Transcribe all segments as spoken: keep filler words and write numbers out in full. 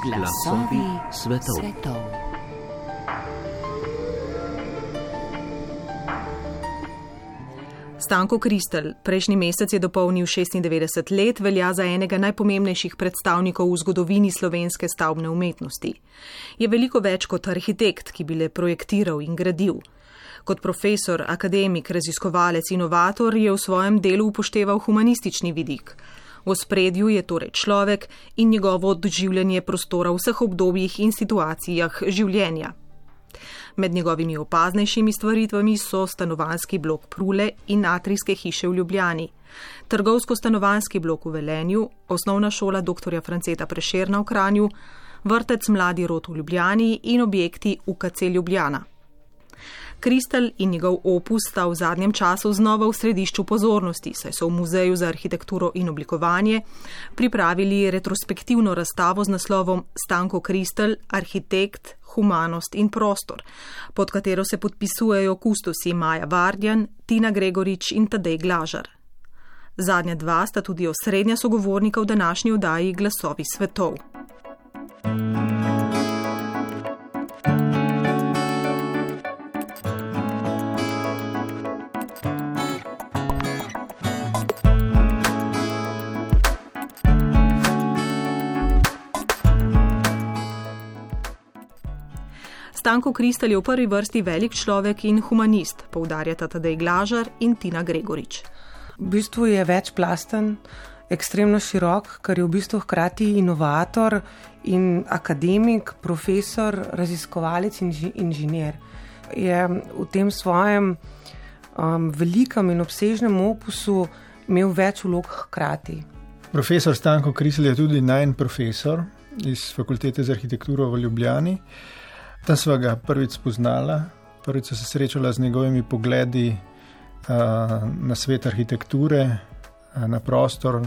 Glasovi svetov. svetov. Stanko Kristl prejšnji mesec je dopolnil šestindevetdeset let, velja za enega najpomembnejših predstavnikov v zgodovini slovenske stavbne umetnosti. Je veliko več kot arhitekt, ki bi le projektiral in gradil. Kot profesor, akademik, raziskovalec, inovator je v svojem delu upošteval humanistični vidik. V ospredju je torej človek in njegovo doživljanje prostora v vseh obdobjih in situacijah življenja. Med njegovimi opaznejšimi stvaritvami so stanovanjski blok Prule in atrijske hiše v Ljubljani, trgovsko-stanovanjski blok v Velenju, osnovna šola doktorja Franceta Prešerna v Kranju, vrtec Mladi rod v Ljubljani in objekti U K C Ljubljana. Kristl in njegov opus sta v zadnjem času znova v središču pozornosti, saj so v Muzeju za arhitekturo in oblikovanje pripravili retrospektivno razstavo z naslovom Stanko Kristl, arhitekt, humanost in prostor, pod katero se podpisujejo kustosi Maja Vardjan, Tina Gregorič in Tadej Glažar. Zadnja dva sta tudi osrednja sogovornika v današnji oddaji Glasovi svetov. Stanko Kristl je v prvi vrsti velik človek in humanist, poudarjata Tadej Glažar in Tina Gregorič. V bistvu je večplasten, ekstremno širok, ker je v bistvu hkrati inovator in akademik, profesor, raziskovalec in inženir. Je v tem svojem um, velikem in obsežnem opusu imel več vlog hkrati. Profesor Stanko Kristl je tudi najin profesor iz Fakultete za arhitekturo v Ljubljani. Tam sva ga prvič spoznala, prvič so se srečala z njegovimi pogledi uh, na svet arhitekture, uh, na prostor,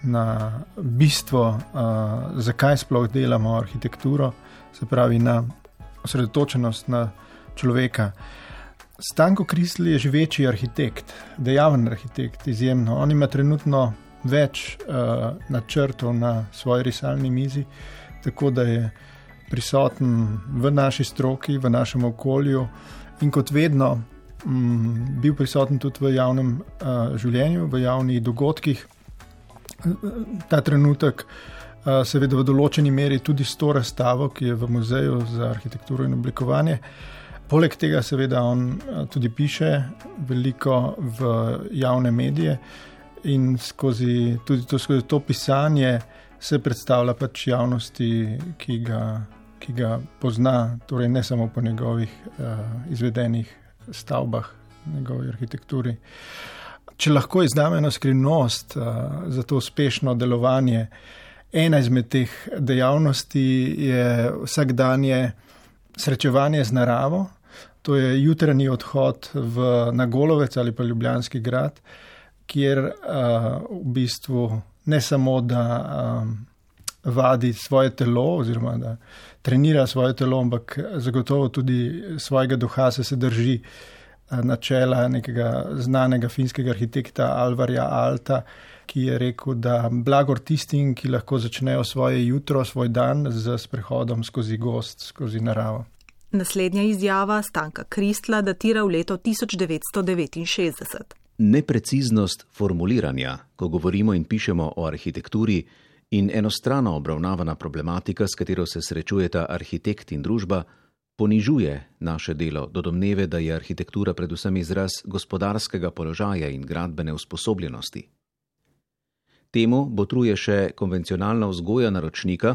na bistvo, uh, zakaj sploh delamo arhitekturo, se pravi na osredotočenost na človeka. Stanko Kristl je živeči arhitekt, dejaven arhitekt, izjemno. On ima trenutno več uh, načrtov na svoji risalni mizi, tako da je prisoten v naši stroki, v našem okolju in kot vedno m, bil prisoten tudi v javnem uh, življenju, v javnih dogodkih. Ta trenutek uh, seveda v določeni meri tudi s to razstavo, ki je v Muzeju za arhitekturo in oblikovanje. Poleg tega seveda on uh, tudi piše veliko v javne medije in skozi, tudi to, skozi to pisanje se predstavlja pač javnosti, ki ga ki ga pozna, torej ne samo po njegovih uh, izvedenih stavbah, njegovi arhitekturi. Če lahko izdam eno skrivnost uh, za to uspešno delovanje, ena izmed teh dejavnosti je vsakdanje srečevanje z naravo, to je jutranji odhod v, na Golovec ali pa Ljubljanski grad, kjer uh, v bistvu ne samo, da um, vadi svoje telo oziroma da trenira svoje telo, ampak zagotovo tudi svojega duha se, se drži načela nekega znanega finskega arhitekta Alvarja Alta, ki je rekel, da blagor tistim, ki lahko začnejo svoje jutro, svoj dan z sprehodom skozi gozd, skozi naravo. Naslednja izjava Stanka Kristla datira v leto tisoč devetsto devetinšestdeset. Nepreciznost formuliranja, ko govorimo in pišemo o arhitekturi, in enostrano obravnavana problematika, s katero se srečujeta arhitekt in družba, ponižuje naše delo do domneve, da je arhitektura predvsem izraz gospodarskega položaja in gradbene usposobljenosti. Temu botruje še konvencionalna vzgoja naročnika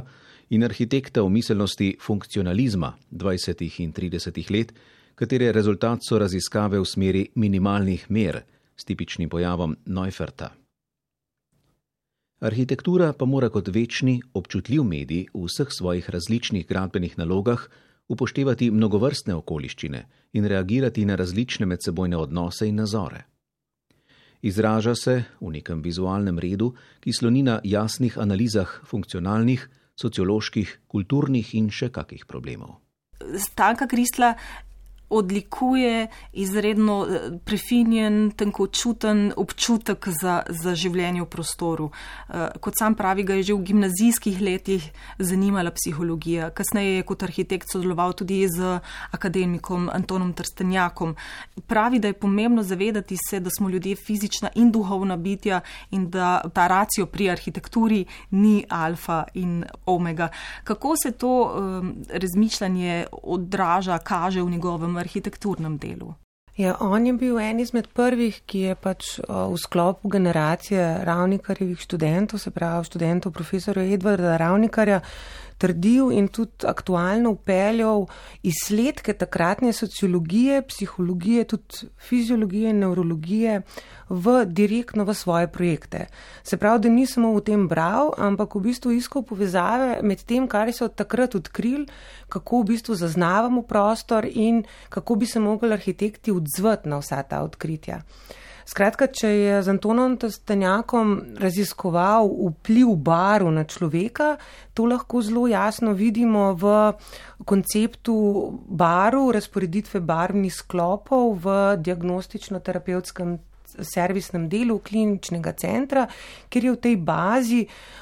in arhitekta v miselnosti funkcionalizma dvajsetih in tridesetih let, katere rezultat so raziskave v smeri minimalnih mer s tipičnim pojavom Neuferta. Arhitektura pa mora kot večni, občutljiv medij v vseh svojih različnih gradbenih nalogah upoštevati mnogovrstne okoliščine in reagirati na različne medsebojne odnose in nazore. Izraža se v nekem vizualnem redu, ki sloni na jasnih analizah funkcionalnih, socioloških, kulturnih in še kakih problemov. Stanka Kristla odlikuje izredno prefinjen, tenkočuten občutek za, za življenje v prostoru. Kot sam pravi, ga je že v gimnazijskih letih zanimala psihologija. Kasneje je kot arhitekt sodeloval tudi z akademikom Antonom Trstenjakom. Pravi, da je pomembno zavedati se, da smo ljudje fizična in duhovna bitja in da ta racio pri arhitekturi ni alfa in omega. Kako se to um, razmišljanje odraža, kaže v njegovem arhitekturnem delu? Ja, on je bil en izmed prvih, ki je pač v sklopu generacije Ravnikarjevih študentov, se pravi študentov profesorja Edvarda Ravnikarja, trdil in tudi aktualno upeljal izsledke takratne sociologije, psihologije, tudi fiziologije in neurologije v direktno v svoje projekte. Se pravi, da ni samo v tem bral, ampak v bistvu iskal povezave med tem, kar so od takrat odkrili, kako v bistvu zaznavamo prostor in kako bi se mogli arhitekti odzvati na vsa ta odkritja. Skratka, če je z Antonom Trstenjakom raziskoval vpliv barv na človeka, to lahko zelo jasno vidimo v konceptu barv, razporeditve barvnih sklopov v diagnostično-terapevtskem servisnem delu kliničnega centra, kjer je v tej bazi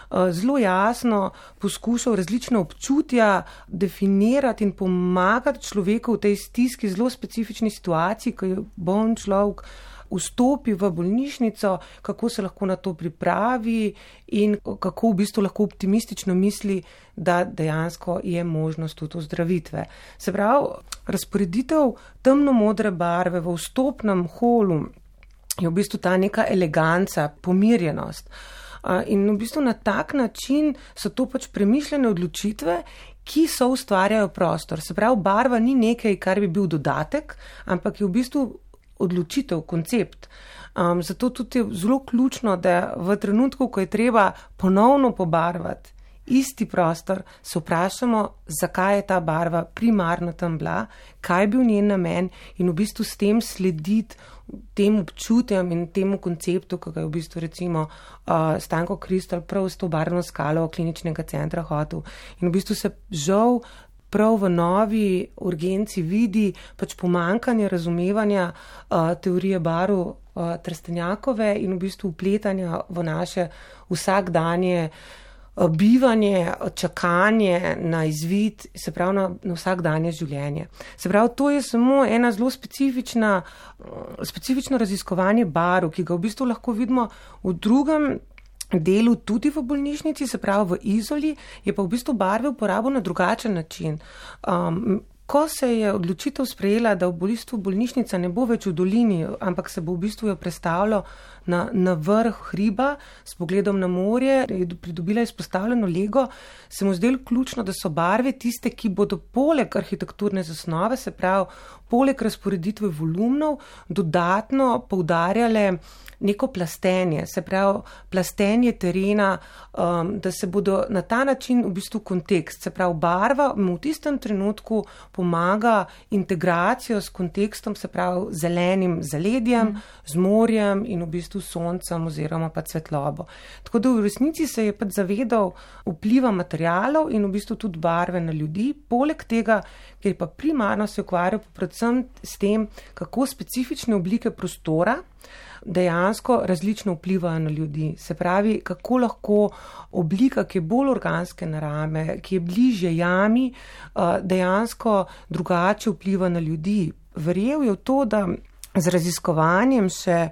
zelo jasno poskušal različna občutja definirati in pomagati človeku v tej stiski, zelo specifični situaciji, ko je boln človek vstopi v bolnišnico, kako se lahko na to pripravi in kako v bistvu lahko optimistično misli, da dejansko je možnost tudi ozdravitve. Se pravi, razporeditev temno-modre barve v vstopnem holu je v bistvu ta neka eleganca, pomirjenost. In v bistvu na tak način so to pač premišljene odločitve, ki so ustvarjajo prostor. Se pravi, barva ni nekaj, kar bi bil dodatek, ampak je v bistvu odločitev, koncept. Um, zato tudi je zelo ključno, da v trenutku, ko je treba ponovno pobarvati isti prostor, se vprašamo, zakaj je ta barva primarno tam bila, kaj je bil njen namen in v bistvu s tem slediti tem občutjem in temu konceptu, ki ga je v bistvu recimo uh, Stanko Kristal prav s to barvno skalo kliničnega centra hotel. In v bistvu se žal prav v novi urgenci vidi pač pomankanje razumevanja uh, teorije barv uh, Trstenjakove in v bistvu vpletanja v naše vsakdanje uh, bivanje, čakanje na izvid, se pravi na, na vsakdanje življenje. Se pravi, to je samo ena zelo specifična, uh, specifično raziskovanje barv, ki ga v bistvu lahko vidimo v drugem delu tudi v bolnišnici, se pravi v Izoli, je pa v bistvu barve uporabil na drugačen način. Um, ko se je odločitev sprejela, da v bistvu bolnišnica ne bo več v dolini, ampak se bo v bistvu jo predstavljalo na, na vrh hriba s pogledom na morje, je pridobila izpostavljeno lego, se mu zdelo ključno, da so barve tiste, ki bodo poleg arhitekturne zasnove, se pravi poleg razporeditve volumnov, dodatno poudarjale neko plastenje, se pravi plastenje terena, um, da se bodo na ta način v bistvu kontekst, se pravi barva mu v tistem trenutku pomaga integracijo s kontekstom, se pravi zelenim zaledjem, mm. z morjem in v bistvu soncem oziroma pa svetlobo. Tako da v resnici se je pač zavedal vpliva materialov in v bistvu tudi barve na ljudi, poleg tega, ker pa primarno se ukvarjal predvsem s tem, kako specifične oblike prostora dejansko različno vplivajo na ljudi. Se pravi, kako lahko oblika, ki je bolj organske narave, ki je bližje jami, dejansko drugače vpliva na ljudi. Verjel je v to, da z raziskovanjem še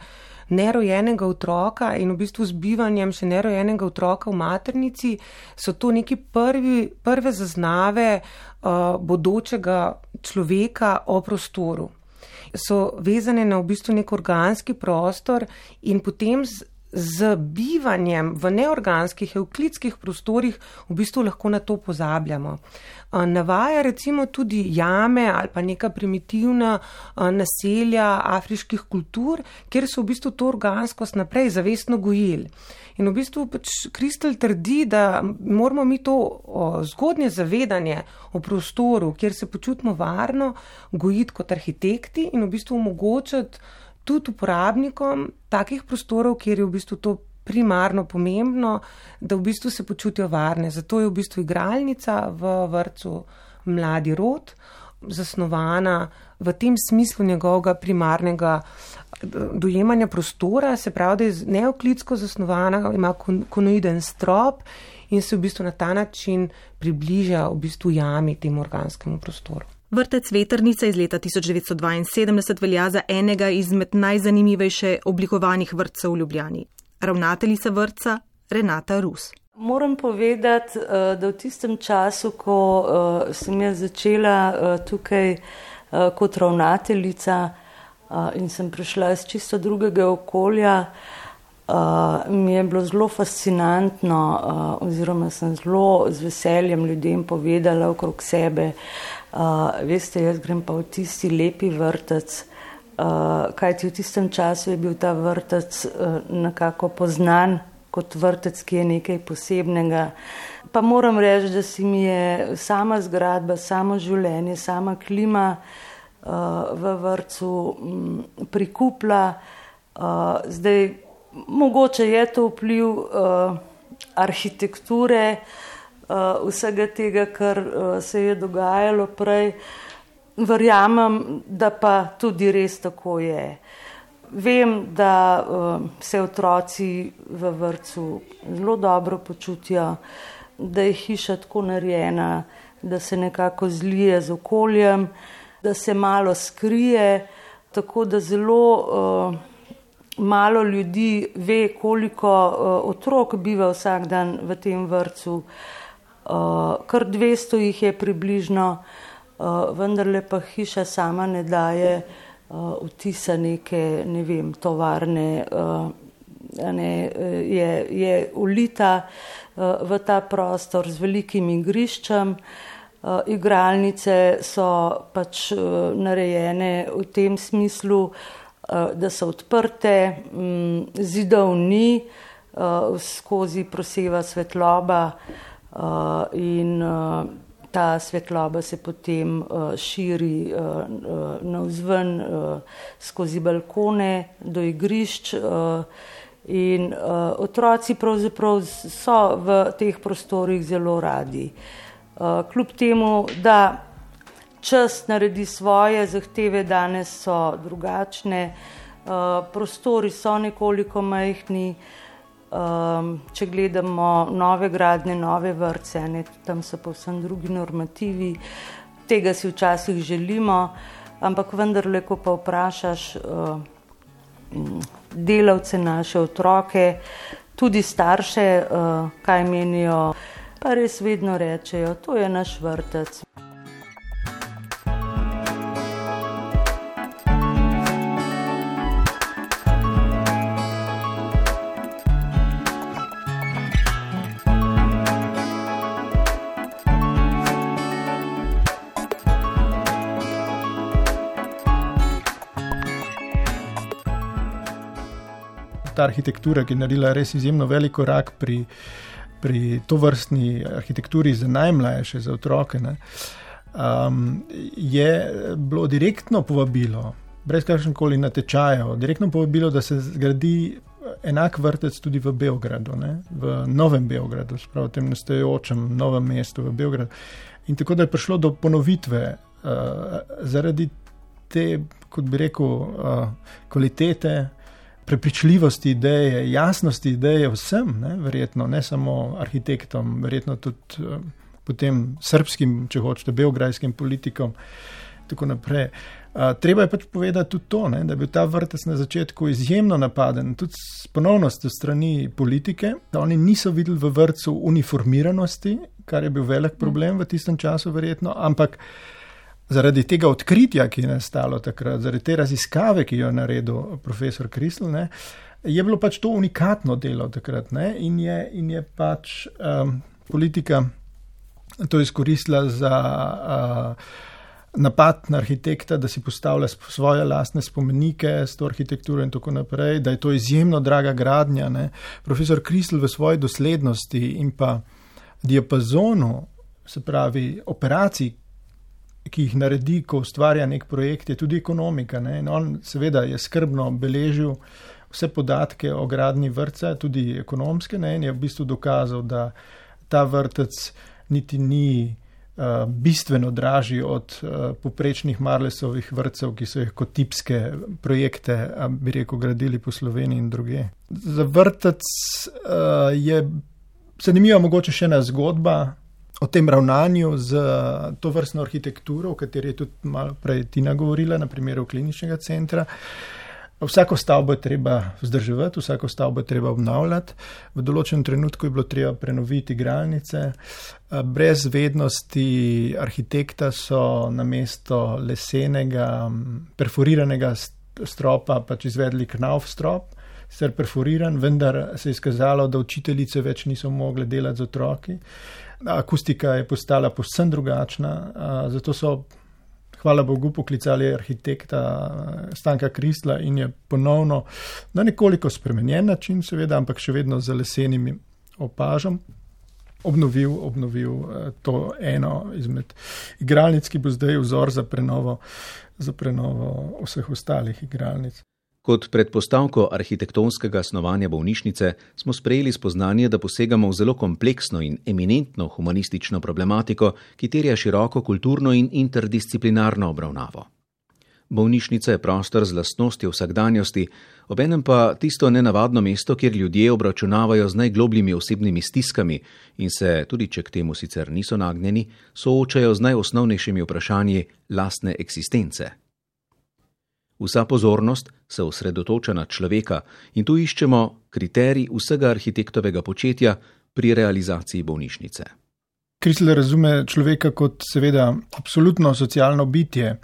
nerojenega otroka in v bistvu z bivanjem še nerojenega otroka v maternici so to neki prvi, prve zaznave uh, bodočega človeka o prostoru. So vezane na v bistvu nek organski prostor in potem z, z bivanjem v neorganskih, evklidskih prostorih v bistvu lahko na to pozabljamo. Navaja recimo tudi jame ali pa neka primitivna naselja afriških kultur, kjer so v bistvu to organskost naprej zavestno gojili. In v bistvu pač Kristal trdi, da moramo mi to o, zgodnje zavedanje o prostoru, kjer se počutimo varno, gojiti kot arhitekti in v bistvu omogočiti tudi uporabnikom takih prostorov, kjer je v bistvu to primarno pomembno, da v bistvu se počutijo varne. Zato je v bistvu igralnica v vrtcu Mladi rod, zasnovana v tem smislu njegovega primarnega dojemanja prostora, se pravi, da je neoklitsko zasnovana, ima konoiden strop in se v bistvu na ta način približa v bistvu jami temu organskemu prostoru. Vrtec Vetrnica iz leta tisoč devetsto dvainsedemdeset velja za enega izmed najzanimivejše oblikovanih vrtcev v Ljubljani. Ravnateljica vrtca Renata Rus. Moram povedati, da v tistem času, ko sem jaz začela tukaj kot ravnateljica in sem prišla iz čisto drugega okolja, mi je bilo zelo fascinantno oziroma sem zelo z veseljem ljudem povedala okrog sebe, veste, jaz grem pa v tisti lepi vrtec, kajti v tistem času je bil ta vrtec nekako poznan kot vrtec, ki je nekaj posebnega. Pa moram reči, da si mi je sama zgradba, samo življenje, sama klima v vrtcu prikupla. Zdaj, mogoče je to vpliv arhitekture, vsega tega, kar se je dogajalo prej. Verjamem, da pa tudi res tako je. Vem, da uh, se otroci v vrtcu zelo dobro počutijo, da je hiša tako narejena, da se nekako zlije z okoljem, da se malo skrije, tako da zelo uh, malo ljudi ve, koliko uh, otrok biva vsak dan v tem vrtcu. Uh, kar dvesto jih je približno, uh, vendarle pa hiša sama ne daje Uh, vtisa neke, ne vem, tovarne, uh, ne, je, je ulita uh, v ta prostor z velikim igriščem. Uh, igralnice so pač uh, narejene v tem smislu, uh, da so odprte, um, zidov ni, uh, skozi proseva svetloba uh, in uh, ta svetloba se potem uh, širi uh, uh, navzven uh, skozi balkone do igrišč uh, in uh, otroci pravzaprav so v teh prostorih zelo radi. Uh, kljub temu, da čas naredi svoje, zahteve danes so drugačne, uh, prostori so nekoliko majhni. Um, če gledamo nove gradnje, nove vrtce, ne, tam so povsem drugi normativi, tega si včasih želimo, ampak vendarle, ko pa vprašaš uh, delavce, naše otroke, tudi starše, uh, kaj menijo, pa res vedno rečejo, to je naš vrtec. Ta arhitektura, ki je naredila res izjemno velik korak pri, pri tovrstni arhitekturi za najmlajše, za otroke, ne, um, je bilo direktno povabilo, brez kakršnekoli natečajev, direktno povabilo, da se zgradi enak vrtec tudi v Beogradu, ne, v Novem Beogradu, spravo tem nastajajočem novem mestu v Beogradu. In tako da je prišlo do ponovitve uh, zaradi te, kot bi rekel, uh, kvalitete, prepričljivosti ideje, jasnosti ideje vsem, ne, verjetno, ne samo arhitektom, verjetno tudi uh, potem srbskim, če hočete, beograjskim politikom, tako naprej. Uh, treba je pač povedati tudi to, ne, da je bil ta vrtec na začetku izjemno napaden, tudi s ponovnostjo strani politike, da oni niso videli v vrtcu uniformiranosti, kar je bil velik problem v tistem času verjetno, ampak zaradi tega odkritja, ki je nastalo takrat, zaradi te raziskave, ki jo je naredil profesor Kristl, ne, je bilo pač to unikatno delo takrat, ne, in, je, in je pač um, politika to izkoristila za uh, napad na arhitekta, da si postavlja svoje lastne spomenike s to arhitekturo in tako naprej, da je to izjemno draga gradnja. Ne. Profesor Kristl v svoji doslednosti in pa diapazonu, se pravi operacij, ki jih naredi, ko ustvarja nek projekt, je tudi ekonomika. Ne? In on seveda je skrbno beležil vse podatke o gradnji vrtca, tudi ekonomske, ne? In je v bistvu dokazal, da ta vrtec niti ni bistveno dražji od poprečnih Marlesovih vrtcev, ki so jih kot tipske projekte, bi rekel, gradili po Sloveniji in druge. Za vrtec je zanimiva mogoče še ena zgodba o tem ravnanju z to vrstno arhitekturo, o kateri je tudi malo prej Tina govorila, na primeru kliničnega centra. Vsako stavbo je treba vzdrževati, vsako stavbo je treba obnavljati. V določenem trenutku je bilo treba prenoviti igralnice. Brez vednosti arhitekta so namesto lesenega, perforiranega stropa pač izvedli knauf strop, sicer perforiran, vendar se je izkazalo, da učiteljice več niso mogle delati z otroki. Akustika je postala povsem drugačna, zato so hvala Bogu poklicali arhitekta Stanka Kristla in je ponovno na nekoliko spremenjen način, seveda, ampak še vedno z lesenim opažam, obnovil, obnovil to eno izmed igralnic, ki bo zdaj vzor za prenovo, za prenovo vseh ostalih igralnic. Kot predpostavko arhitektonskega snovanja bolnišnice smo sprejeli spoznanje, da posegamo v zelo kompleksno in eminentno humanistično problematiko, ki terja široko kulturno in interdisciplinarno obravnavo. Bolnišnica je prostor z lastnostjo vsakdanjosti, obenem pa tisto nenavadno mesto, kjer ljudje obračunavajo z najglobljimi osebnimi stiskami in se, tudi če k temu sicer niso nagnjeni, soočajo z najosnovnejšimi vprašanji lastne eksistence. Vsa pozornost se osredotoča na človeka in tu iščemo kriterij vsega arhitektovega početja pri realizaciji bolnišnice. Kristl razume človeka kot seveda absolutno socialno bitje.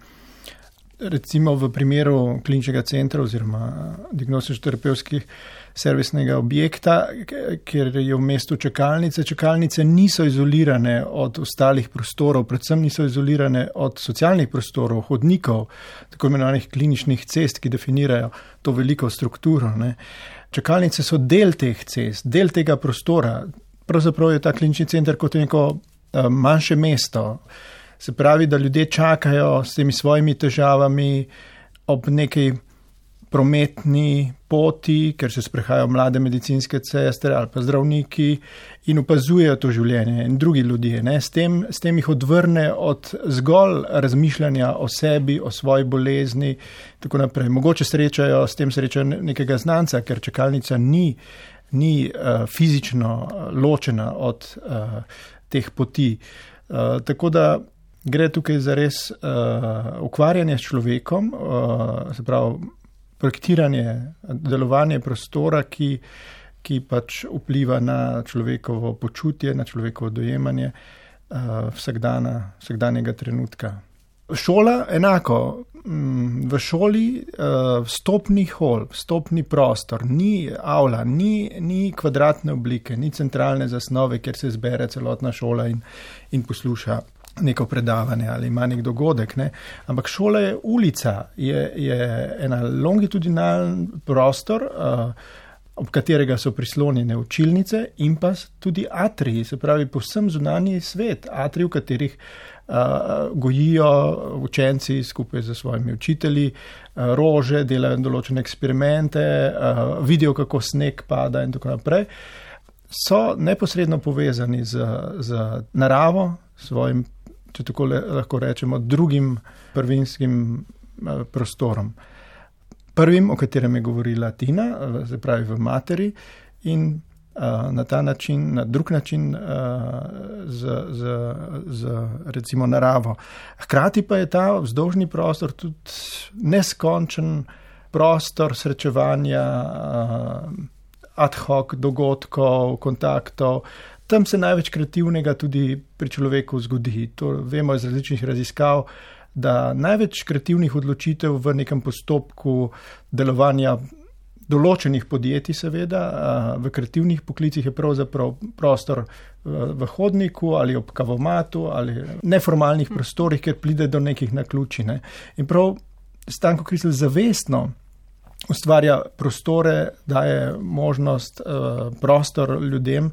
Recimo v primeru kliničnega centra oziroma diagnostično-terapevtskih servisnega objekta, kjer je v mestu čakalnice. Čakalnice niso izolirane od ostalih prostorov, predvsem niso izolirane od socialnih prostorov, hodnikov, tako imenovanih kliničnih cest, ki definirajo to veliko strukturo. Ne. Čakalnice so del teh cest, del tega prostora. Pravzaprav je ta klinični center kot neko uh, manjše mesto. Se pravi, da ljudje čakajo s temi svojimi težavami ob neki prometni poti, ker se sprehajajo mlade medicinske sestre ali pa zdravniki in opazujejo to življenje in drugi ljudje. Ne? S tem, s tem jih odvrne od zgolj razmišljanja o sebi, o svoji bolezni, tako naprej. Mogoče srečajo, s tem srečajo nekega znanca, ker čakalnica ni, ni uh, fizično ločena od uh, teh poti. Uh, tako da gre tukaj za res uh, ukvarjanje s človekom, uh, se pravi projektiranje, delovanje prostora, ki, ki pač vpliva na človekovo počutje, na človekovo dojemanje uh, vsakdana, vsakdanjega trenutka. Šola enako. V šoli uh, vstopni hol, vstopni prostor, ni avla, ni, ni kvadratne oblike, ni centralne zasnove, kjer se zbere celotna šola in, in posluša neko predavanje ali ima nek dogodek, ne. Ampak šola je ulica, je, je ena longitudinalen prostor, uh, ob katerega so prislonjene učilnice in pa tudi atriji, se pravi povsem zunanji svet, atriji, v katerih uh, gojijo učenci skupaj z svojimi učitelji, uh, rože, delajo določene eksperimente, uh, vidijo, kako sneg pada in tako naprej. So neposredno povezani z, z naravo, svojim, če tako le, lahko rečemo, drugim prvinskim uh, prostorom. Prvim, o katerem je govorila Tina, se pravi v materi in uh, na ta način, na drug način uh, z, z, z recimo naravo. Hkrati pa je ta vzdolžni prostor tudi neskončen prostor srečevanja, uh, ad hoc dogodkov, kontaktov. Tam se največ kreativnega tudi pri človeku zgodi. To vemo iz različnih raziskav, da največ kreativnih odločitev v nekem postopku delovanja določenih podjetij, seveda, v kreativnih poklicih je pravzaprav prostor v hodniku ali ob kavomatu ali neformalnih prostorih, kjer pride do nekih naključij. Ne. In prav Stanko Kristl zavestno ustvarja prostore, daje možnost, prostor ljudem,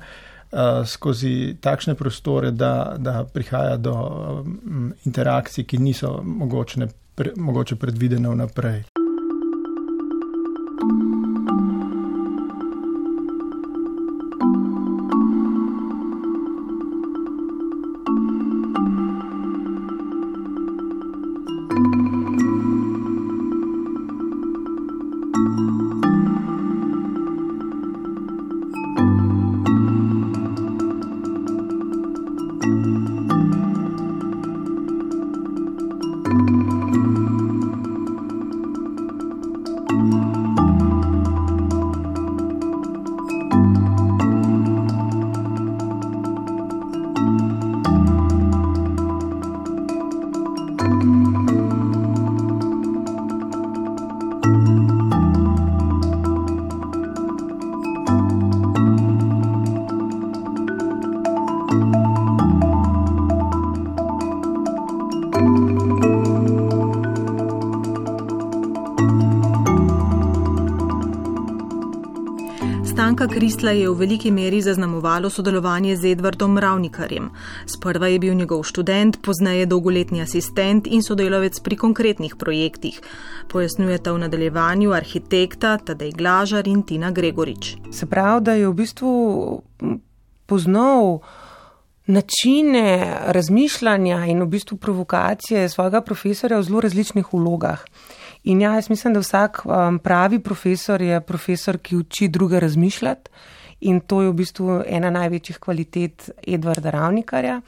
Uh, skozi takšne prostore, da, da prihaja do um, interakcij, ki niso mogočne, pre, mogoče predvidene vnaprej. Stanka Kristla je v veliki meri zaznamovalo sodelovanje z Edvardom Ravnikarjem. Sprva je bil njegov študent, pozneje dolgoletni asistent in sodelavec pri konkretnih projektih. Pojasnjujeta v nadaljevanju arhitekta Tadej Glažar in Tina Gregorič. Se pravi, da je v bistvu poznal načine razmišljanja in v bistvu provokacije svojega profesorja v zelo različnih vlogah. In ja, jaz mislim, da vsak um, pravi profesor je profesor, ki uči druge razmišljati, in to je v bistvu ena največjih kvalitet Edvarda Ravnikarja.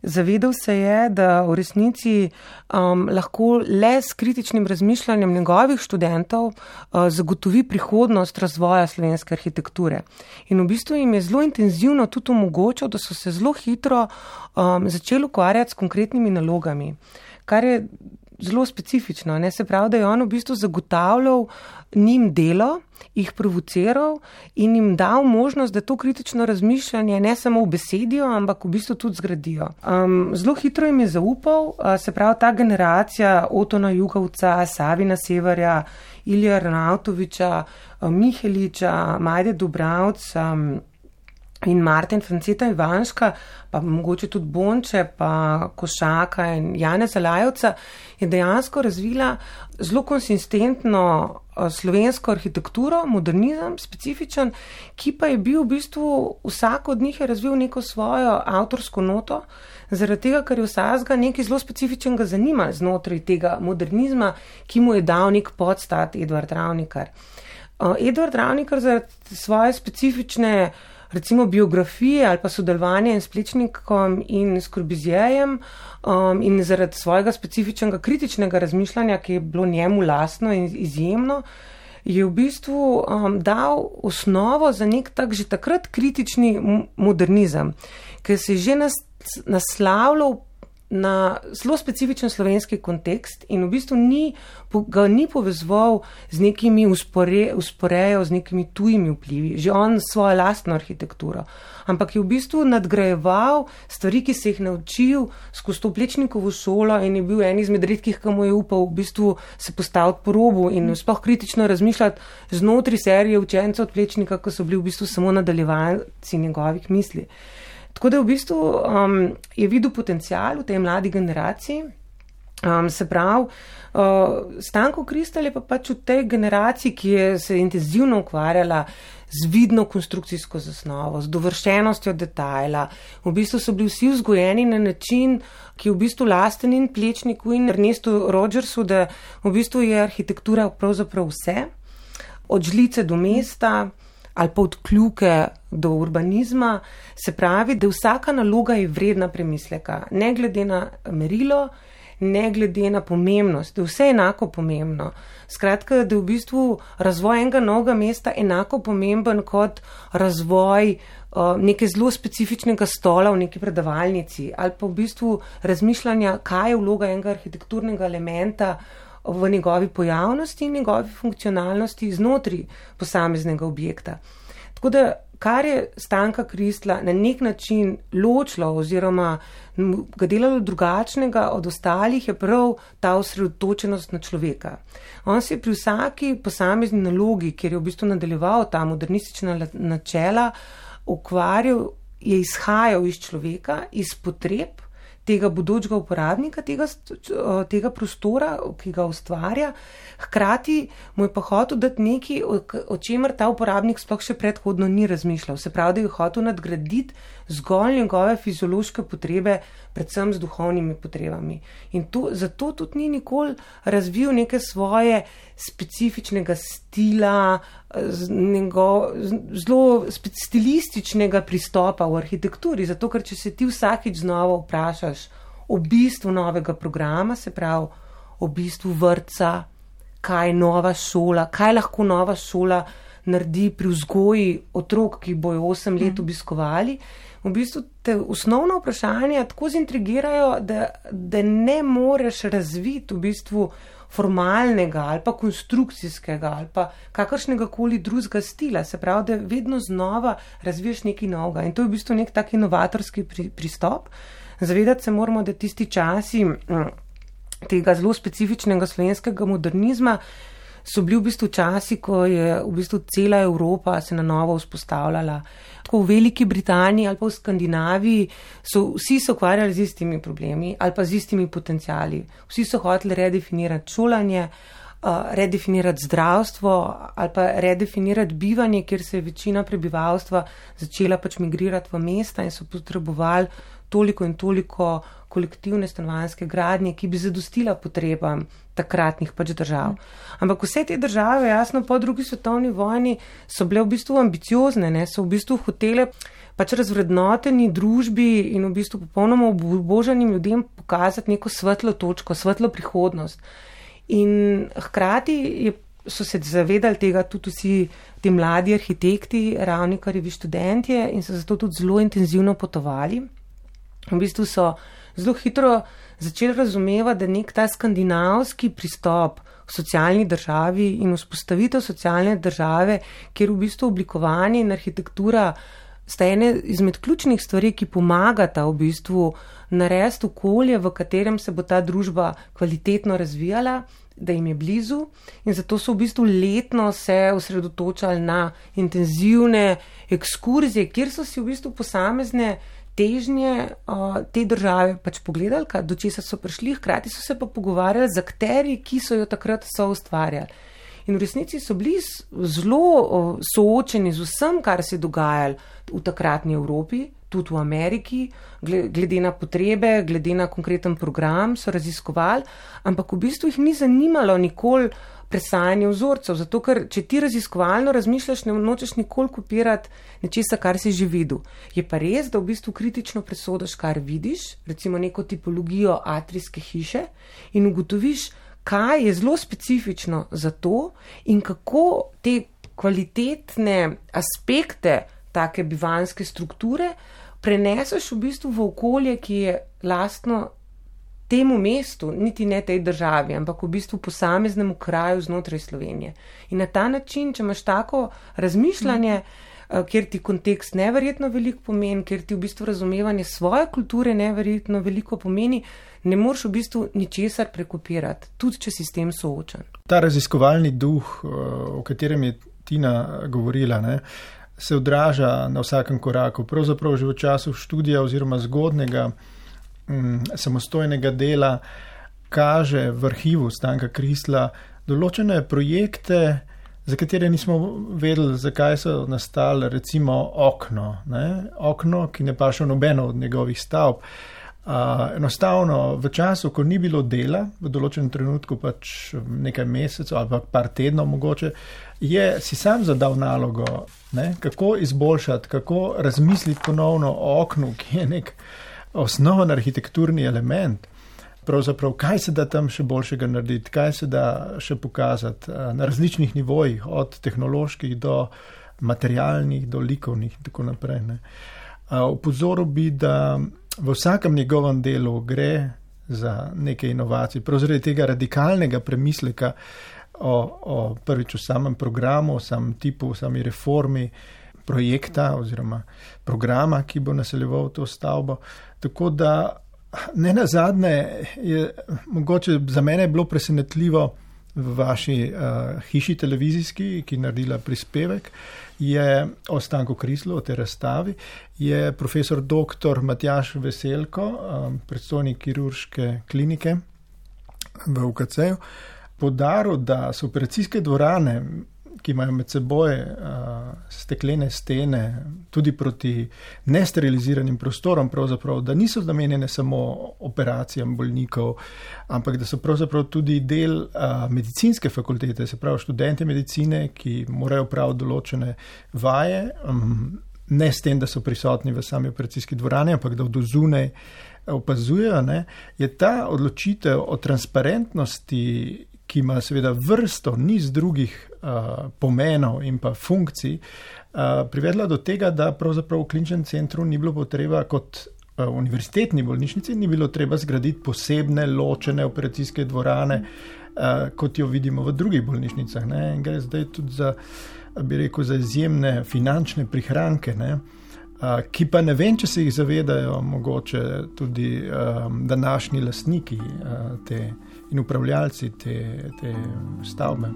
Zavedal se je, da v resnici um, lahko le s kritičnim razmišljanjem njegovih študentov uh, zagotovi prihodnost razvoja slovenske arhitekture. In v bistvu jim je zelo intenzivno tudi omogočil, da so se zelo hitro um, začeli ukvarjati s konkretnimi nalogami, kar je zelo specifično, ne? Se pravi, da je on v bistvu zagotavljal njim delo, jih provociral in jim dal možnost, da to kritično razmišljanje ne samo v besedijo, ampak v bistvu tudi zgradijo. Um, zelo hitro jim je zaupal, uh, se pravi, ta generacija Otona Jugovca, Savina Severja, Ilija Arnautoviča, uh, Miheliča, Majde Dubravc, um, in Martin Franceta Ivanška, pa mogoče tudi Bonče, pa Košaka in Janeza Lajovca, je dejansko razvila zelo konsistentno slovensko arhitekturo, modernizem specifičen, ki pa je bil v bistvu, vsak od njih je razvil neko svojo avtorsko noto, zaradi tega, ker je vsakega nekaj zelo specifičnega zanima znotraj tega modernizma, ki mu je dal nek podstat Edvard Ravnikar. Edvard Ravnikar zaradi svoje specifične recimo biografije ali pa sodelovanje s Plečnikom in s Corbusijerjem um, in zaradi svojega specifičnega kritičnega razmišljanja, ki je bilo njemu lastno in izjemno, je v bistvu um, dal osnovo za nek tak že takrat kritični modernizem, ki se je že nas, naslavljal na zelo specifičen slovenski kontekst in v bistvu ni, ga ni povezoval z nekimi uspore, usporejo, z nekimi tujimi vplivi, že on svojo lastno arhitekturo, ampak je v bistvu nadgrajeval stvari, ki se jih naučil skozi to Plečnikovo šolo in je bil en izmed redkih, ki mu je upal v bistvu se postaviti po robu in sploh kritično razmišljati znotraj serije učencev od Plečnika, ki so bili v bistvu samo nadaljevanci njegovih misli. Tako da v bistvu um, je videl potencial v tej mladi generaciji, um, se pravi, uh, Stanko Kristl je pa pač v tej generaciji, ki je se intenzivno ukvarjala z vidno konstrukcijsko zasnovo, z dovršenostjo detajla. V bistvu so bili vsi vzgojeni na način, ki je v bistvu lasten in Plečniku in Ernestu Rogersu, da v bistvu je arhitektura pravzaprav vse, od žlice do mesta, ali pa od kljuke do urbanizma, se pravi, da vsaka naloga je vredna premisleka, ne glede na merilo, ne glede na pomembnost, da je vse enako pomembno. Skratka, da je v bistvu razvoj enega novega mesta enako pomemben kot razvoj uh, neke zelo specifičnega stola v neki predavalnici, ali pa v bistvu razmišljanja, kaj je vloga enega arhitekturnega elementa v njegovi pojavnosti in njegovi funkcionalnosti znotraj posameznega objekta. Tako da, kar je Stanka Kristla na nek način ločilo oziroma ga delalo drugačnega od ostalih, je prav ta osredotočenost na človeka. On se je pri vsaki posamezni nalogi, kjer je v bistvu nadaljeval ta modernistična načela, ukvarjal, je izhajal iz človeka, iz potreb tega bodočega uporabnika, tega, tega prostora, ki ga ustvarja, hkrati mu je pa hotel dati nekaj, o, o čemer ta uporabnik sploh še predhodno ni razmišljal. Se pravi, da je hotel nadgraditi zgolj njegove fiziološke potrebe, predvsem z duhovnimi potrebami. In to, zato tudi ni nikoli razvil neke svoje specifičnega stila, njegov, zelo stilističnega pristopa v arhitekturi, zato ker če se ti vsakič znova vprašaš o bistvu novega programa, se pravi o bistvu vrtca, kaj je nova šola, kaj lahko nova šola naredi pri vzgoji otrok, ki bojo osem let obiskovali, v bistvu te osnovna vprašanja tako zintrigirajo, da, da ne moreš razviti v bistvu formalnega ali pa konstrukcijskega ali pa kakršnega koli drugega stila. Se pravi, da vedno znova razviješ nekaj novega. In to je v bistvu nek tak inovatorski pri, pristop. Zavedati se moramo, da tisti časi tega zelo specifičnega slovenskega modernizma so bili v bistvu časi, ko je v bistvu cela Evropa se na novo vzpostavljala. Tako v Veliki Britaniji ali pa v Skandinaviji so vsi se ukvarjali z istimi problemi ali pa z istimi potencijali. Vsi so hoteli redefinirati šolanje, redefinirati zdravstvo ali pa redefinirati bivanje, kjer se je večina prebivalstva začela pač migrirati v mesta in so potrebovali toliko in toliko kolektivne stanovanjske gradnje, ki bi zadostila potrebam takratnih pač držav. Ampak vse te države, jasno, po drugi svetovni vojni so bile v bistvu ambiciozne, ne? So v bistvu hotele pač razvrednoteni družbi in v bistvu popolnoma obubožanim ljudem pokazati neko svetlo točko, svetlo prihodnost. In hkrati je, so se zavedali tega tudi vsi ti mladi arhitekti, Ravnikarjevi študentje in so zato tudi zelo intenzivno potovali. V bistvu so zelo hitro začeli razumevati, da nek ta skandinavski pristop v socialni državi in vzpostavitev socialne države, kjer v bistvu oblikovanje in arhitektura sta ene izmed ključnih stvari, ki pomagata v bistvu narediti okolje, v katerem se bo ta družba kvalitetno razvijala, da jim je blizu in zato so v bistvu letno se osredotočali na intenzivne ekskurzije, kjer so si v bistvu posamezne težnje uh, te države pač pogledali, kaj, do česa so prišli, hkrati so se pa pogovarjali z akterji, ki so jo takrat so ustvarjali. In v resnici so bili zelo uh, soočeni z vsem, kar se je dogajalo v takratni Evropi, tudi v Ameriki, glede na potrebe, glede na konkreten program so raziskovali, ampak v bistvu jih ni zanimalo nikoli presajanje vzorcev, zato ker če ti raziskovalno razmišljaš, ne nočeš nikoli kopirati nečesa, kar si že videl. Je pa res, da v bistvu kritično presodaš, kar vidiš, recimo neko tipologijo atrijske hiše in ugotoviš, kaj je zelo specifično za to in kako te kvalitetne aspekte take bivanjske strukture preneseš v bistvu v okolje, ki je lastno temu mestu, niti ne tej državi, ampak v bistvu posameznemu kraju znotraj Slovenije. In na ta način, če imaš tako razmišljanje, kjer ti kontekst neverjetno veliko pomeni, kjer ti v bistvu razumevanje svoje kulture neverjetno veliko pomeni, ne moreš v bistvu ničesar prekopirati, tudi če si s tem soočen. Ta raziskovalni duh, o katerem je Tina govorila, ne, se odraža na vsakem koraku. Pravzaprav že v času študija oziroma zgodnega samostojnega dela kaže v arhivu Stanka Krisla določene projekte, za katere nismo vedeli, zakaj so nastali, recimo okno. Ne? Okno, ki ne paše v nobeno od njegovih stavb. Uh, enostavno, v času, ko ni bilo dela, v določenem trenutku pač nekaj mesecev ali pa par tednov mogoče, je si sam zadal nalogo, ne? Kako izboljšati, kako razmisliti ponovno o oknu, ki je nek osnoven arhitekturni element. Pravzaprav, kaj se da tam še boljšega narediti, kaj se da še pokazati na različnih nivojih, od tehnoloških do materialnih, do likovnih in tako naprej. Ne. Upozoril bi, da v vsakem njegovem delu gre za neke inovacije, prav zaradi tega radikalnega premisleka o, o prvič v samem programu, o samem tipu, o sami reformi projekta oziroma programa, ki bo naseljeval to stavbo. Tako da ne nazadnje je mogoče za mene bilo presenetljivo v vaši uh, hiši televizijski, ki je naredila prispevek, je o Stanku Krislu, o tej razstavi, je profesor doktor Matjaž Veselko, um, predstojnik kirurške klinike v U K C-ju, podaril, da so operacijske dvorane, ki imajo med seboj uh, steklene stene, tudi proti nesteriliziranim prostorom, pravzaprav, da niso namenjene samo operacijam bolnikov, ampak da so pravzaprav tudi del uh, medicinske fakultete, se pravi študente medicine, ki morajo praviti določene vaje, um, ne s tem, da so prisotni v sami operacijski dvorani, ampak da od zunaj opazujejo, ne, je ta odločitev o transparentnosti, ki ima seveda vrsto niz drugih uh, pomenov in pa funkcij, uh, privedla do tega, da pravzaprav v kliničnem centru ni bilo potreba kot uh, univerzitetni bolnišnici, ni bilo treba zgraditi posebne ločene operacijske dvorane, uh, kot jo vidimo v drugih bolnišnicah. Ne? In gre zdaj tudi za, bi rekel, za izjemne finančne prihranke, ne? Uh, ki pa ne vem, če se jih zavedajo mogoče tudi um, današnji lastniki uh, te in upravljalci te, te stavbe.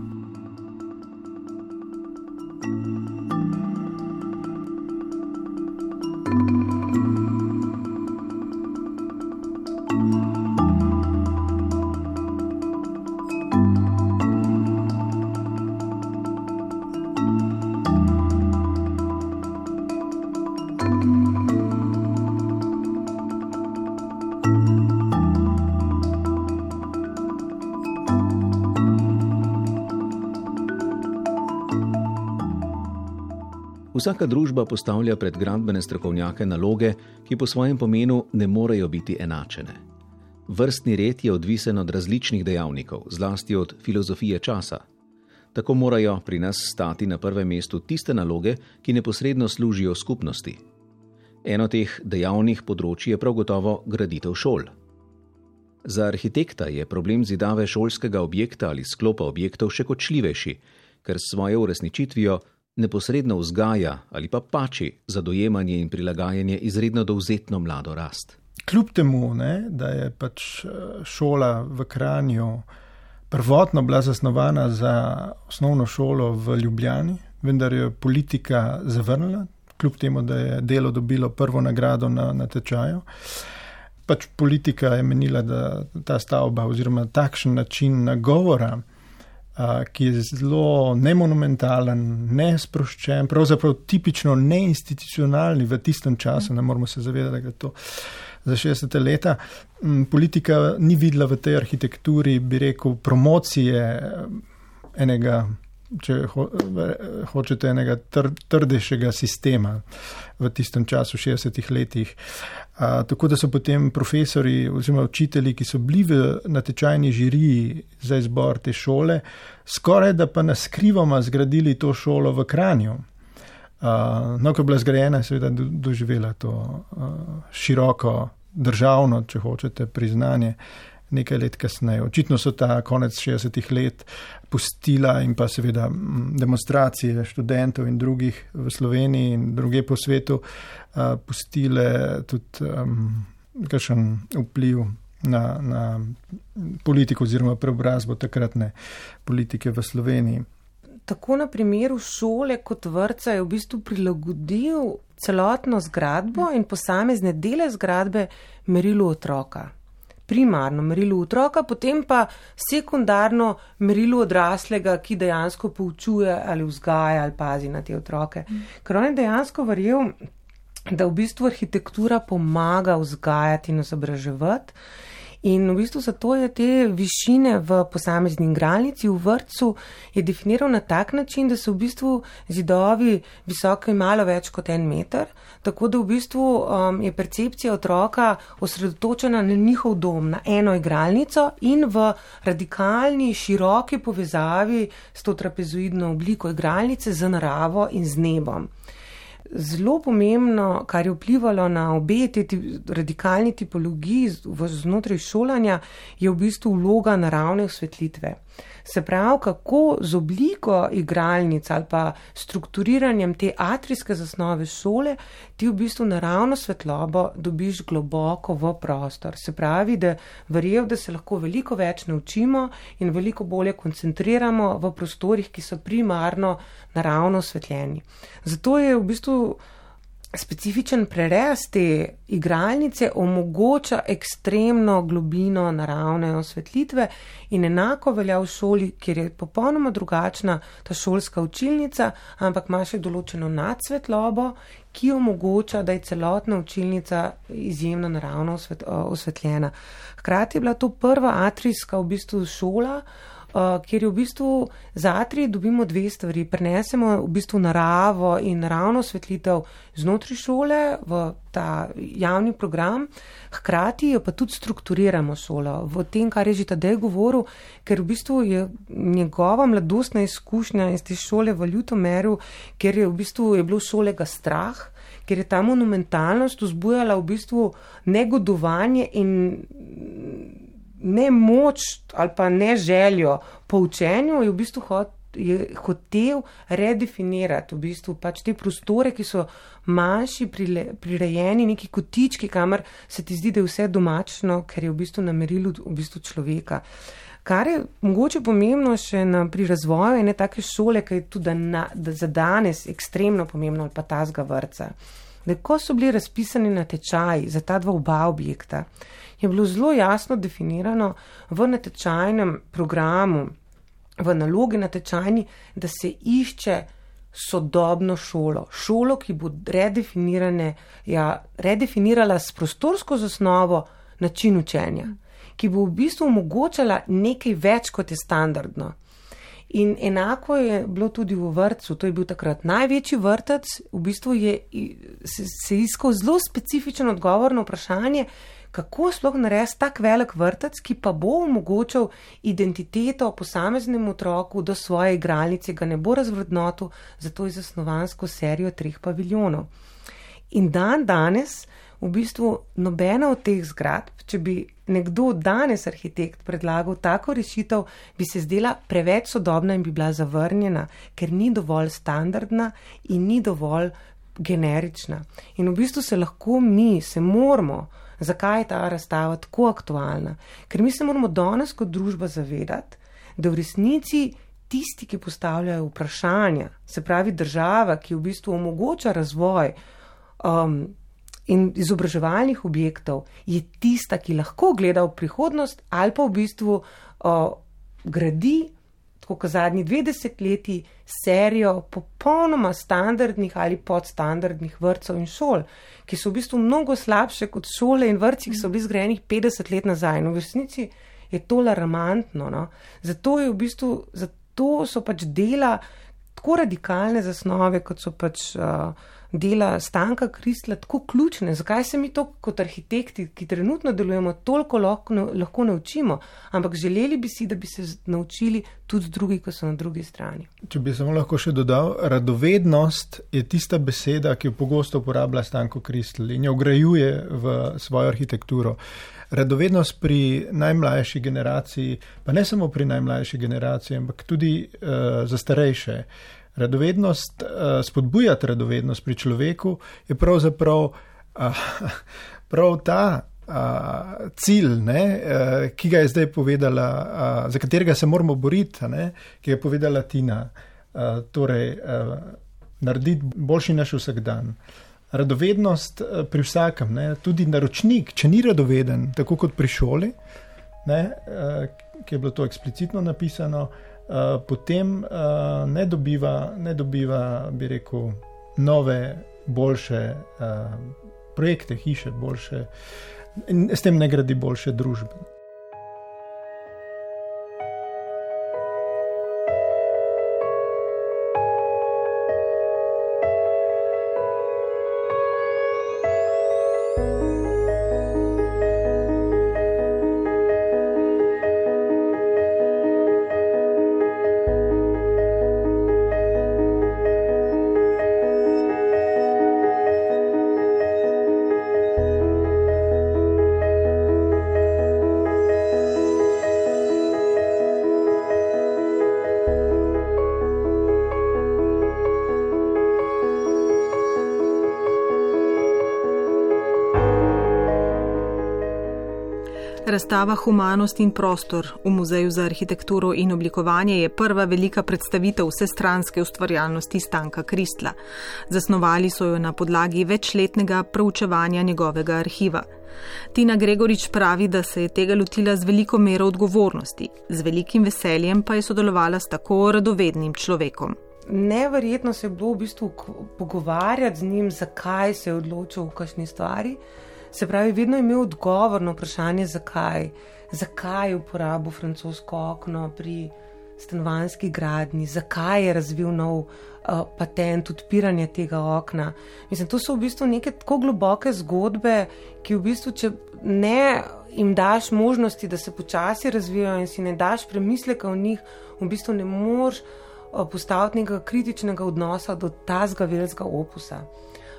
Vsaka družba postavlja pred gradbene strokovnjake naloge, ki po svojem pomenu ne morejo biti enačene. Vrstni red je odvisen od različnih dejavnikov, zlasti od filozofije časa. Tako morajo pri nas stati na prvem mestu tiste naloge, ki neposredno služijo skupnosti. Eno teh dejavnih področij je prav gotovo graditev šol. Za arhitekta je problem zidave šolskega objekta ali sklopa objektov še kočljivejši, ker s svojo uresničitvijo neposredno vzgaja ali pa pači za dojemanje in prilagajanje izredno dovzetno mlado rast. Kljub temu, ne, da je pač šola v Kranju prvotno bila zasnovana za osnovno šolo v Ljubljani, vendar je politika zavrnila, kljub temu, da je delo dobilo prvo nagrado na, na tečaju. Pač politika je menila, da ta stavba oziroma takšen način nagovora, ki je zelo nemonumentalen, nesproščen, pravzaprav tipično neinstitucionalni v tistem času, ne moramo se zavedati, da je to za šestdeseta leta. Politika ni videla v tej arhitekturi, bi rekel, promocije enega, če ho, hočete, enega tr, trdejšega sistema v tistem času, šestdesetih letih. A, tako da so potem profesori oziroma učitelji, ki so bili v natečajni žiriji za izbor te šole, skoraj da pa naskrivoma zgradili to šolo v Kranju. A, no, ko je bila zgrajena, seveda do, doživela to a, široko državno, če hočete, priznanje nekaj let kasneje. Očitno so ta konec šestdesetih let pustila in pa seveda demonstracije študentov in drugih v Sloveniji in druge po svetu uh, pustile tudi um, kakšen vpliv na, na politiko oziroma preobrazbo takratne politike v Sloveniji. Tako na primeru šole kot vrtca je v bistvu prilagodil celotno zgradbo in posamezne dele zgradbe merilu otroka. Primarno merilo otroka, potem pa sekundarno merilo odraslega, ki dejansko poučuje ali vzgaja ali pazi na te otroke. Ker on je dejansko verjel, da v bistvu arhitektura pomaga vzgajati in izobraževati. In v bistvu zato je te višine v posamezni igralnici, v vrtcu, je definiral na tak način, da so v bistvu zidovi visoki malo več kot en meter, tako da v bistvu um, je percepcija otroka osredotočena na njihov dom, na eno igralnico in v radikalni, široki povezavi s to trapezoidno obliko igralnice z naravo in z nebom. Zelo pomembno, kar je vplivalo na obe te radikalni tipologiji znotraj šolanja, je v bistvu vloga naravne osvetlitve. Se pravi, kako z obliko igralnic ali pa strukturiranjem te atrijske zasnove šole ti v bistvu naravno svetlobo dobiš globoko v prostor. Se pravi, da verjel, da se lahko veliko več naučimo in veliko bolje koncentriramo v prostorih, ki so primarno naravno osvetljeni. Zato je v bistvu specifičen prerez te igralnice omogoča ekstremno globino naravne osvetlitve in enako velja v šoli, kjer je popolnoma drugačna ta šolska učilnica, ampak ima še določeno nadsvetlobo, ki omogoča, da je celotna učilnica izjemno naravno osvetljena. Hkrati je bila to prva atrijska v bistvu šola, kjer je v bistvu za atrij dobimo dve stvari. Prenesemo v bistvu naravo in naravno osvetlitev znotraj šole v ta javni program, hkrati jo pa tudi strukturiramo šolo v tem, kar je že Tadej govoril, ker v bistvu je njegova mladostna izkušnja iz te šole v Ljutomeru, ker je v bistvu je bilo šolega strah, ker je ta monumentalnost vzbujala v bistvu negodovanje in ne moč ali pa ne željo po učenju, je v bistvu hot, je hotel redefinirati v bistvu pač te prostore, ki so manjši, prirejeni, neki kotički, kamor se ti zdi, da je vse domačno, ker je v bistvu na merilu v bistvu človeka. Kar je mogoče pomembno še na, pri razvoju ene take šole, ki je tudi na, da za danes ekstremno pomembno, ali pa tazga vrtca, da ko so bili razpisani natečaji za ta dva oba objekta, je bilo zelo jasno definirano v natečajnem programu, v nalogi natečajni, da se išče sodobno šolo, šolo, ki bo redefinirane, ja, redefinirala s prostorsko zasnovo način učenja, ki bo v bistvu omogočala nekaj več, kot je standardno. In enako je bilo tudi v vrtcu, to je bil takrat največji vrtec, v bistvu je se, se iskal zelo specifičen odgovor na vprašanje, kako sploh narediti tak velik vrtec, ki pa bo omogočal identiteto posameznemu otroku do svoje igralnice, ga ne bo razvrednotil, zato je zasnovansko serijo treh paviljonov. In dan danes, v bistvu nobena od teh zgradb, če bi nekdo danes arhitekt predlagal tako rešitev, bi se zdela preveč sodobna in bi bila zavrnjena, ker ni dovolj standardna in ni dovolj generična. In v bistvu se lahko mi, se moramo, zakaj je ta razstava tako aktualna? Ker mi se moramo danes kot družba zavedati, da v resnici tisti, ki postavljajo vprašanja, se pravi država, ki v bistvu omogoča razvoj um, in izobraževalnih objektov, je tista, ki lahko gleda v prihodnost ali pa v bistvu uh, gradi, tako kot zadnji dve desetletji, serijo popolnoma standardnih ali podstandardnih vrtcev in šol, ki so v bistvu mnogo slabše kot šole in vrtci, ki so bili zgrajenih petdeset let nazaj. No, v resnici je to alarmantno. No? Zato je v bistvu, zato so pač dela tako radikalne zasnove, kot so pač uh, dela Stanka Kristla, tako ključne. Zakaj se mi to kot arhitekti, ki trenutno delujemo, toliko lahko, lahko naučimo, ampak želeli bi si, da bi se naučili tudi drugi, ko so na drugi strani. Če bi samo lahko še dodal, radovednost je tista beseda, ki jo pogosto uporablja Stanko Kristl in jo vgrajuje v svojo arhitekturo. Radovednost pri najmlajši generaciji, pa ne samo pri najmlajši generaciji, ampak tudi uh, za starejše. Radovednost, uh, spodbujati radovednost pri človeku je pravzaprav uh, prav ta uh, cilj, ne, uh, ki ga je zdaj povedala, uh, za katerega se moramo boriti, ne, ki je povedala Tina. Uh, torej, uh, narediti boljši naš vsak dan. Radovednost uh, pri vsakem, ne, tudi naročnik, če ni radoveden, tako kot pri šoli, ne, uh, ki je bilo to eksplicitno napisano, Uh, potem uh, ne dobiva, ne dobiva, bi rekel, nove, boljše uh, projekte, hiše, boljše, in s tem ne gradi boljše družbe. Razstava Humanost in prostor v Muzeju za arhitekturo in oblikovanje je prva velika predstavitev vsestranske ustvarjalnosti Stanka Kristla. Zasnovali so jo na podlagi večletnega proučevanja njegovega arhiva. Tina Gregorič pravi, da se je tega lotila z veliko mero odgovornosti, z velikim veseljem pa je sodelovala s tako radovednim človekom. Neverjetno se je bilo v bistvu pogovarjati z njim, zakaj se je odločil v kakšni stvari. Se pravi, vedno je imel odgovor na vprašanje, zakaj. Zakaj je uporabil francosko okno pri stanovanjski gradnji, zakaj je razvil nov uh, patent odpiranja tega okna. Mislim, to so v bistvu neke tako globoke zgodbe, ki v bistvu, če ne jim daš možnosti, da se počasi razvijajo in si ne daš premisleka v njih, v bistvu ne moreš uh, postaviti nekega kritičnega odnosa do tazga velikega opusa.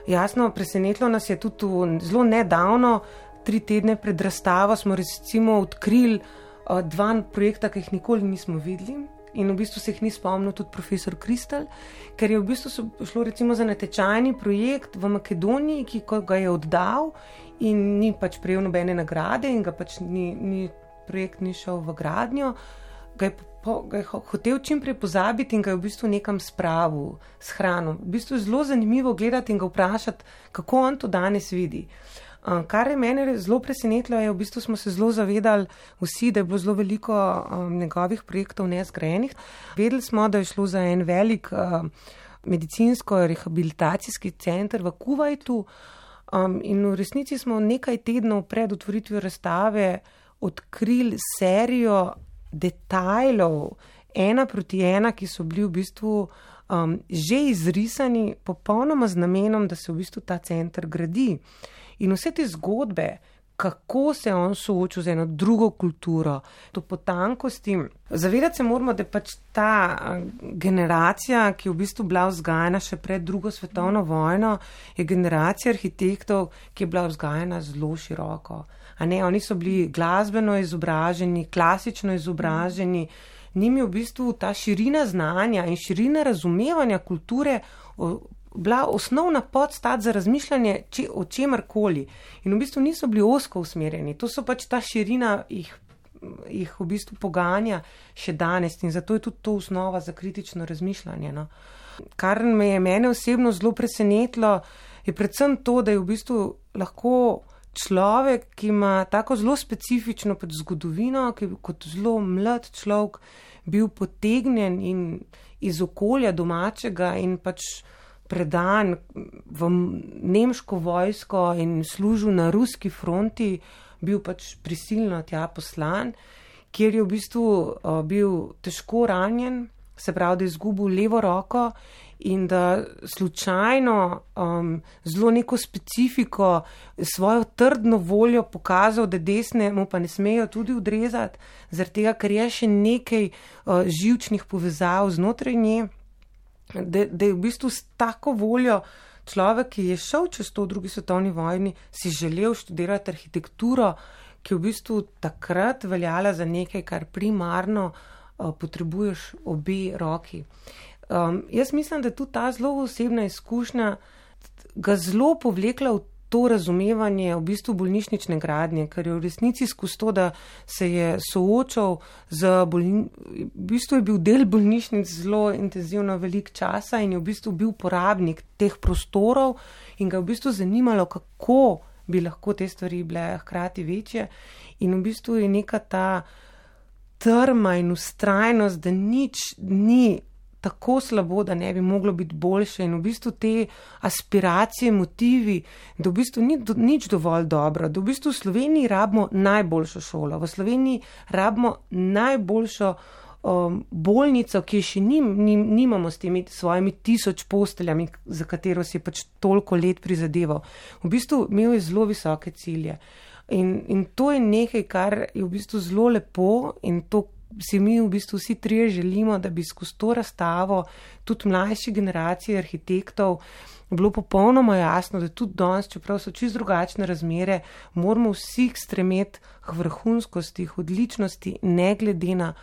Jasno, presenetilo nas je tudi zelo nedavno, tri tedne pred razstavo smo recimo odkrili uh, dva projekta, ki jih nikoli nismo videli in v bistvu se jih ni spomnil tudi profesor Kristl, ker je v bistvu šlo recimo za natečajni projekt v Makedoniji, ki ga je oddal in ni pač prejel nobene nagrade in ga pač ni, ni projekt ni šel v gradnjo, ga je, po, ga je hotel čim prej pozabiti in ga je v bistvu nekam spravil s hrano. V bistvu je zelo zanimivo gledati in ga vprašati, kako on to danes vidi. Kar je mene zelo presenetilo, je v bistvu smo se zelo zavedali vsi, da je bilo zelo veliko um, njegovih projektov nezgrajenih. Vedeli smo, da je šlo za en velik uh, medicinsko-rehabilitacijski center v Kuvajtu um, in v resnici smo nekaj tednov pred otvoritvijo razstave odkrili serijo detajlov, ena proti ena, ki so bili v bistvu um, že izrisani popolnoma z namenom, da se v bistvu ta center gradi. In vse te zgodbe, kako se on soočil z eno drugo kulturo, to potankosti. Zavedati se moramo, da je pač ta generacija, ki je v bistvu bila vzgajana še pred drugo svetovno vojno, je generacija arhitektov, ki je bila vzgajana zelo široko. A ne, oni so bili glasbeno izobraženi, klasično izobraženi, njim je v bistvu ta širina znanja in širina razumevanja kulture bila osnovna podstat za razmišljanje če, o čemarkoli. In v bistvu niso bili ozko usmerjeni. To so pač ta širina jih, jih v bistvu poganja še danes in zato je tudi to osnova za kritično razmišljanje. No. Kar me je mene osebno zelo presenetilo, je predvsem to, da je v bistvu lahko človek, ki ima tako zelo specifično pač zgodovino, ki je kot zelo mlad človek bil potegnjen in iz okolja domačega in pač predan v nemško vojsko in služil na ruski fronti, bil pač prisilno tja poslan, kjer je v bistvu uh, bil težko ranjen, se pravi, da je izgubil levo roko in da slučajno um, zelo neko specifiko, svojo trdno voljo pokazal, da desne mu pa ne smejo tudi odrezati, zaradi tega, ker je še nekaj uh, živčnih povezav znotraj nje. Da, da je v bistvu s tako voljo človek, ki je šel čez to v drugi svetovni vojni, si želel študirati arhitekturo, ki je v bistvu takrat veljala za nekaj, kar primarno uh, potrebuješ obe roki. Um, jaz mislim, da tudi ta zelo osebna izkušnja ga zelo povlekla v to razumevanje v bistvu bolnišnične gradnje, ker je v resnici skozi to, da se je soočal z bolni... v bistvu je bil del bolnišnic zelo intenzivno velik časa in je v bistvu bil porabnik teh prostorov in ga je v bistvu zanimalo, kako bi lahko te stvari bile hkrati večje in v bistvu je neka ta trma in ustrajnost, da nič ni tako slabo, da ne bi moglo biti boljše in v bistvu te aspiracije, motivi, da v bistvu ni do, nič dovolj dobro, da v bistvu v Sloveniji rabimo najboljšo šolo, v Sloveniji rabimo najboljšo um, bolnico, ki je še nim, nim, nimamo s temi svojimi tisoč posteljami, za katero si je pač toliko let prizadeval. V bistvu imel je zelo visoke cilje in, in to je nekaj, kar je v bistvu zelo lepo in to si mi v bistvu vsi trije želimo, da bi skozi to razstavo tudi mlajši generaciji arhitektov bilo popolnoma jasno, da tudi danes, čeprav so čisto drugačne razmere, moramo vsi stremeti k vrhunskosti, k odličnosti, ne glede na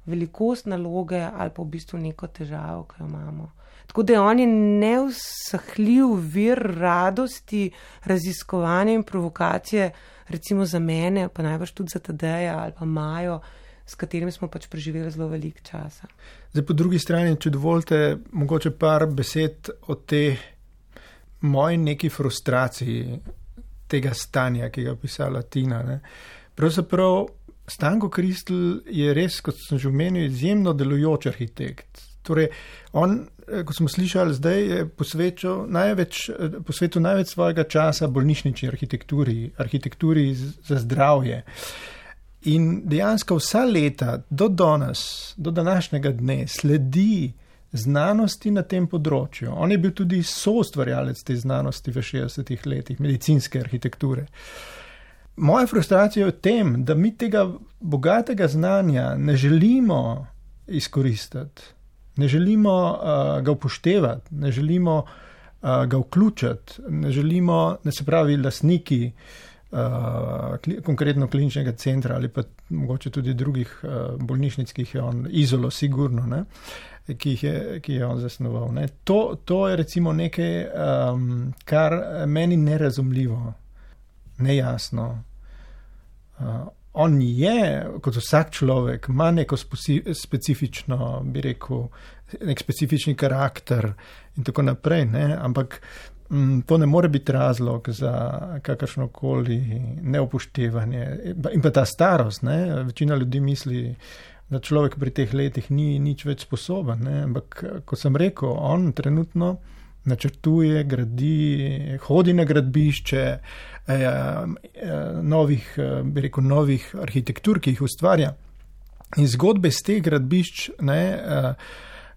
velikost naloge ali pa v bistvu neko težavo, ki jo imamo. Tako da on je neusahljiv vir radosti, raziskovanja in provokacije, recimo za mene, pa najbrž tudi za Tadeja ali pa Majo, s katerimi smo pač preživeli zelo veliko časa. Zdaj, po drugi strani, če dovolite, mogoče par besed o te moji neki frustraciji tega stanja, ki ga pisala Tina. Ne. Pravzaprav Stanko Kristl je res, kot sem že omenil, izjemno delujoč arhitekt. Torej, on, kot smo slišali zdaj, je posvečal največ, posvetil največ svojega časa bolnišnični arhitekturi, arhitekturi za zdravje. In dejansko vsa leta do danes, do današnjega dne sledi znanosti na tem področju. On je bil tudi soustvarjalec te znanosti v šestdesetih letih, medicinske arhitekture. Moja frustracija je v tem, da mi tega bogatega znanja ne želimo izkoristiti, ne želimo uh, ga upoštevati, ne želimo uh, ga vključiti, ne želimo, ne se pravi, lastniki Uh, kli, konkretno kliničnega centra ali pa mogoče tudi drugih uh, bolnišnic, ki jih je on, Izolo sigurno, ne, ki jih je, ki je on zasnoval. Ne. To, to je recimo nekaj, um, kar meni nerazumljivo, nejasno. Uh, on je, kot vsak človek, ima neko specifično, bi rekel, nek specifični karakter in tako naprej, ne? Ampak m, to ne more biti razlog za kakršnokoli neupoštevanje. In pa ta starost, ne? Večina ljudi misli, da človek pri teh letih ni nič več sposoben, ne? Ampak, kot sem rekel, on trenutno načrtuje, gradi, hodi na gradbišče eh, eh, novih, eh, bi rekel, novih arhitektur, ki jih ustvarja. In zgodbe z teh gradbišč, ne, eh,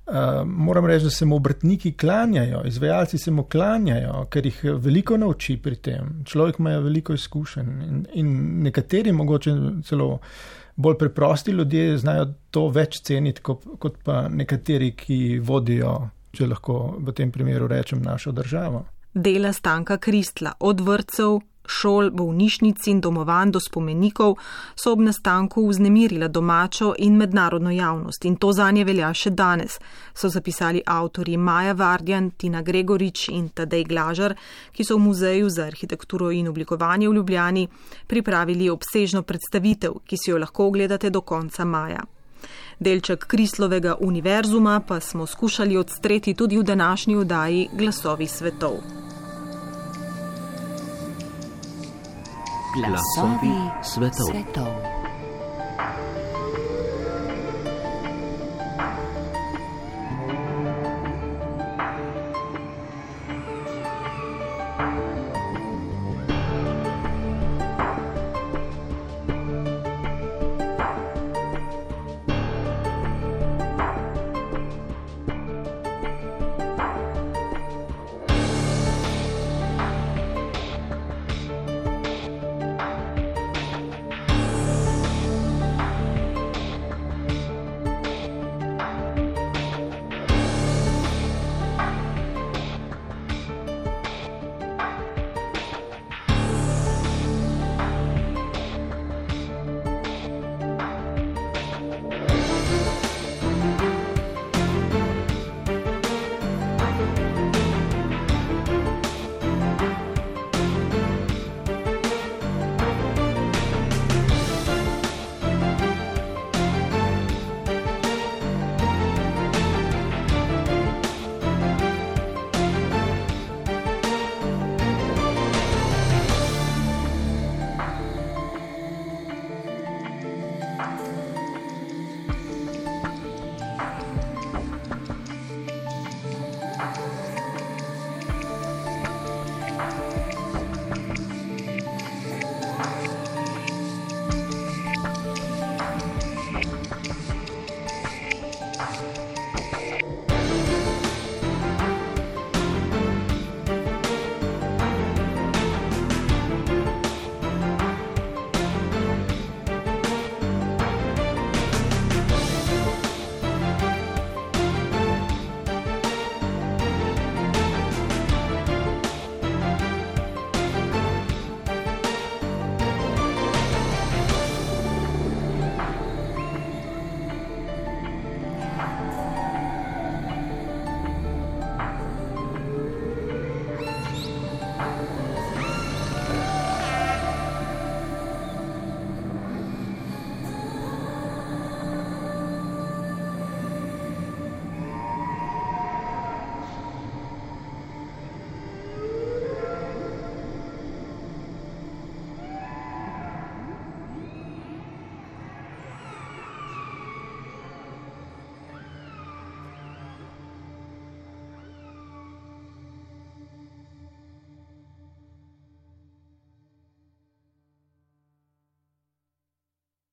eh, moram reči, da se mu obrtniki klanjajo, izvajalci se mu klanjajo, ker jih veliko nauči pri tem. Človek ima veliko izkušenj in, in nekateri mogoče celo bolj preprosti ljudje znajo to več ceniti, kot, kot pa nekateri, ki vodijo, če lahko v tem primeru rečem, našo državo. Dela Stanka Kristla, od vrtcev, šol, bolnišnic in domovanj do spomenikov, so ob nastanku vznemirila domačo in mednarodno javnost in to zanje velja še danes, so zapisali avtorji Maja Vardjan, Tina Gregorič in Tadej Glažar, ki so v Muzeju za arhitekturo in oblikovanje v Ljubljani pripravili obsežno predstavitev, ki si jo lahko ogledate do konca maja. Delček Kristlovega univerzuma pa smo skušali odstreti tudi v današnji oddaji Glasovi svetov. Glasovi svetov. svetov.